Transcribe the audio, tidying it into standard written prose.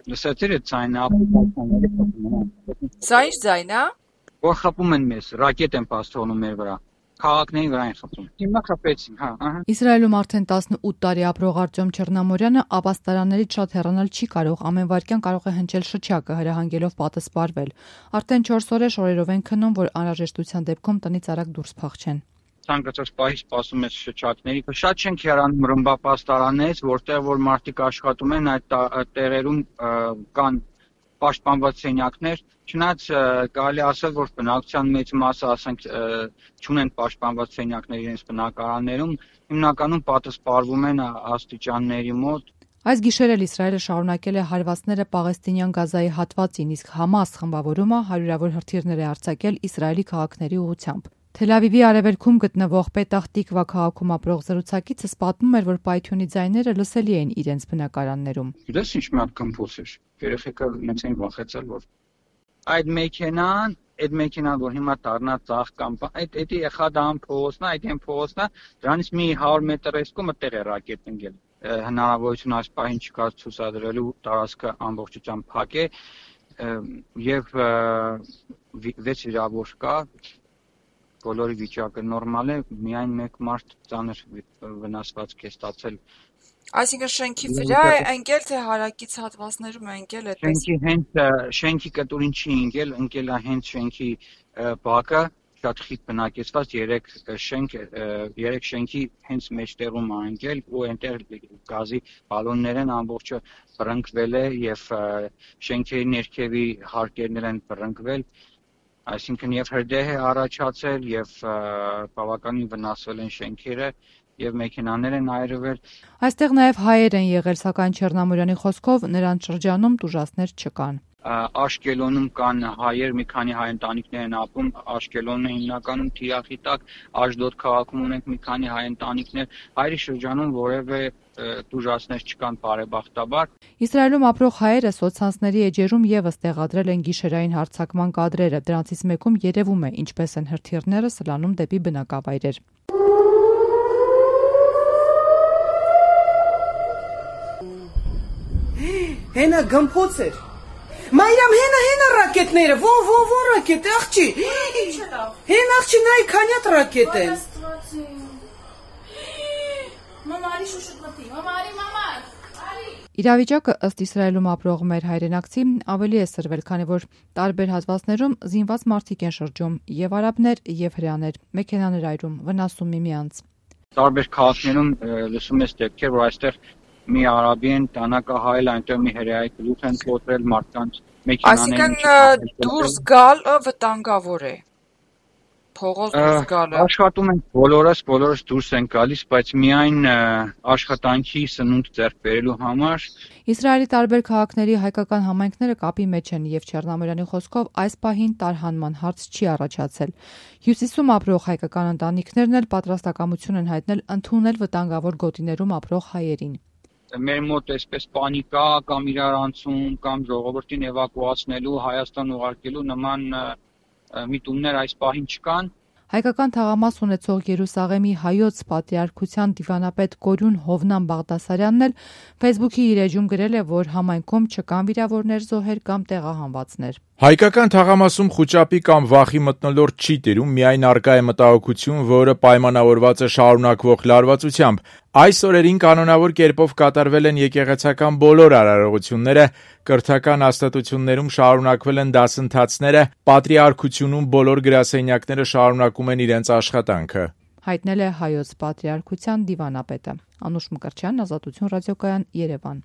Լսեցի՞ր այդ ձայնը, ապացույցները խփում են։ Սա ինչ ձայն է։ Որ խփում են մեզ, ռակետ են պաս թողնում մեր վրա։ Քաղաքների վրա են խփում։ Հիմա խփեցին, հա, ահա։ Իսրայելում արդեն 18 տարի ապրող Արտյոմ Չեռնամորյանը ապաստարաններից շատ հեռանալ չի կարող, ամեն վայրկյան կարող է հնչել շչակը, հրահանգելով պատը սպառվել։ Արդեն 4 օր է շորերով են քնում, որ անհրաժեշտության դեպքում տնից արագ դուրս փախչեն։ Ցանկացած պահի սպասում ես շչակների։ Շատ չենք հեռանում ռմբապաստարաններից, որտեղ որ մարդիկ աշխատում են, այդ տեղերում կան պաշտպանված սենյակներ, չնայած կարելի ասել, որ բնակչության մեծ մասը, ասենք, չունեն պաշտպանված սենյակներ իրենց բնակարաններում, հիմնականում պատը սպառվում են աստիճանների մոտ։ Այս գիշեր էլ Իսրայելը շարունակել է հարվածները Պաղեստինյան Գազայի հատվածին, իսկ Համաս խմբավորումը հարյուրավոր հրթիռներ է արձակել Իսրայելի քաղաքների ուղղությամբ։ Թել Ավիվի արևելքում գտնվող Պետահ Տիկվա քաղաքում ապրող զրուցակիցս պատմում էր, որ պայթյունի ձայները լսելի էին իրենց բնակարաններում։ Գիտես ինչ մի հատ կմփոս էր։ Երեխեքը մեծ էին վախեցել, որ այդ մեքենան, որ հիմա դառնա ծաղ կամ այդ եղադան փողոցն է, այդ են փողոցն է, դրանից մի 100 մետր էսկոմ այդտեղ է ռակետ ընկել։ Հնարավորություն այս պահին չկա ցուցադրելու տարածքը ամբողջությամբ փակ է եւ 6 վիրավոր կա։ Բոլորի վիճակը նորմալ է, միայն մեկ մարդ ծանր վնասվածք է ստացել։ Այսինքն շենքի վրա է ընկել, թե հարակից հատվածներում է ընկել այդպես։ Շենքի կտուրին չի ընկել է հենց շենքի բակը, շատ խիտ բնակեցված 3 շենքի հենց մեջտեղում է ընկել ու այնտեղ գազի բալոններ են, ամբողջը բռնկվել է եւ շենքերի ներքևի հարկերներ են բռնկվել։ Այսինքն եւ հրդեհ է առաջացել եւ բավականին վնասվել են շենքերը եւ մեքենաներ են այրվել։ Այստեղ նաեւ հայեր են եղել, սակայն Չեռնամորյանի խոսքով նրանց շրջանում տուժածներ չկան։ Աշկելոնում կան հայեր, մի քանի հայ ընտանիքներ են ապրում, Աշկելոնը հիմնականում թիրախի տակ, Աշդոդ քաղաքում ունենք մի քանի հայ ընտանիքներ, հայերի շրջանում որևէ տուժածներ չկան բարեբախտաբար։ Իսրայելում ապրող հայերը սոցցանցների էջերում եւս տեղադրել են գիշերային հարձակման կադրերը, դրանցից մեկում երևում է ինչպես են հրթիռները սլանում դեպի բնակավայրեր։ Հենա գմփոց էր։ Մայրամ հենա ռակետները, ո ռակետ, աղջի։ Հեն աղջի նայ քանյատ ռակետ են։ Մամարի շուշուտմտի, մամարի։ Իրավիճակը ըստ Իսրայելում ապրող մեր հայրենակցի ավելի է սրվել, քանի որ տարբեր հատվածներում զինված մարդիկ են շրջում, եւ արաբներ, եւ հրեաներ, մեքենաներ այրում, վնասում միմյանց։ Տարբեր քաղաքներում լսում ես դեպքեր, որ այստեղ մի արաբի են տանակահայել, այնտեղ մի հրեայի գլուխ են կոտրել մարդկանց մեքենաներին։ Այսինքն դուրս գալը վտանգավոր է։ Փողոց դուրս գալը։ Աշխատում են բոլորս դուրս են գալիս, բայց միայն աշխատանքի սնունդ ձեռք բերելու համար։ Իսրայելի տարբեր քաղաքների հայկական համայնքները կապի մեջ են եւ Չեռնամորյանի խոսքով այս պահին տարհանման հարց չի առաջացել։ Հյուսիսում ապրող հայկական ընտանիքներն էլ պատրաստակամություն են հայտնել ընդունել վտանգավոր գոտիներում ապրող հայերին։ Մեր մոտ այսպես պանիկա կամ իրարանցում կամ ժողովրդին էվակուացնելու, Հայաստան ուղարկելու նման միտումներ այս պահին չկան։ Հայկական թաղամաս ունեցող Երուսաղեմի հայոց պատրիարքության դիվանապետ Կորյուն Հովնան Բաղդասարյանն էլ Facebook-ի իր էջում գրել է, որ համայնքում չկան վիրավորներ, զոհեր կամ տեղահանվածներ։ Հայկական թաղամասում խուճապի կամ վախի մթնոլորտ չի տիրում, միայն առկա է մտահոգություն, որը պայմանավորված է շարունակվող լարվածությամբ։ Այս օրերին կանոնավոր կերպով կատարվել են եկեղեցական բոլոր արարողությունները, կրթական հաստատություններում շարունակվել են դասընթացները, պատրիարքությունում բոլոր գրասենյակները շարունակում են իրենց աշխատանքը։ Հայտնել է հայոց պատրիարքության դիվանապետը։ Անուշ Մկրտչյան, Ազատություն ռադիոկայան, Երևան։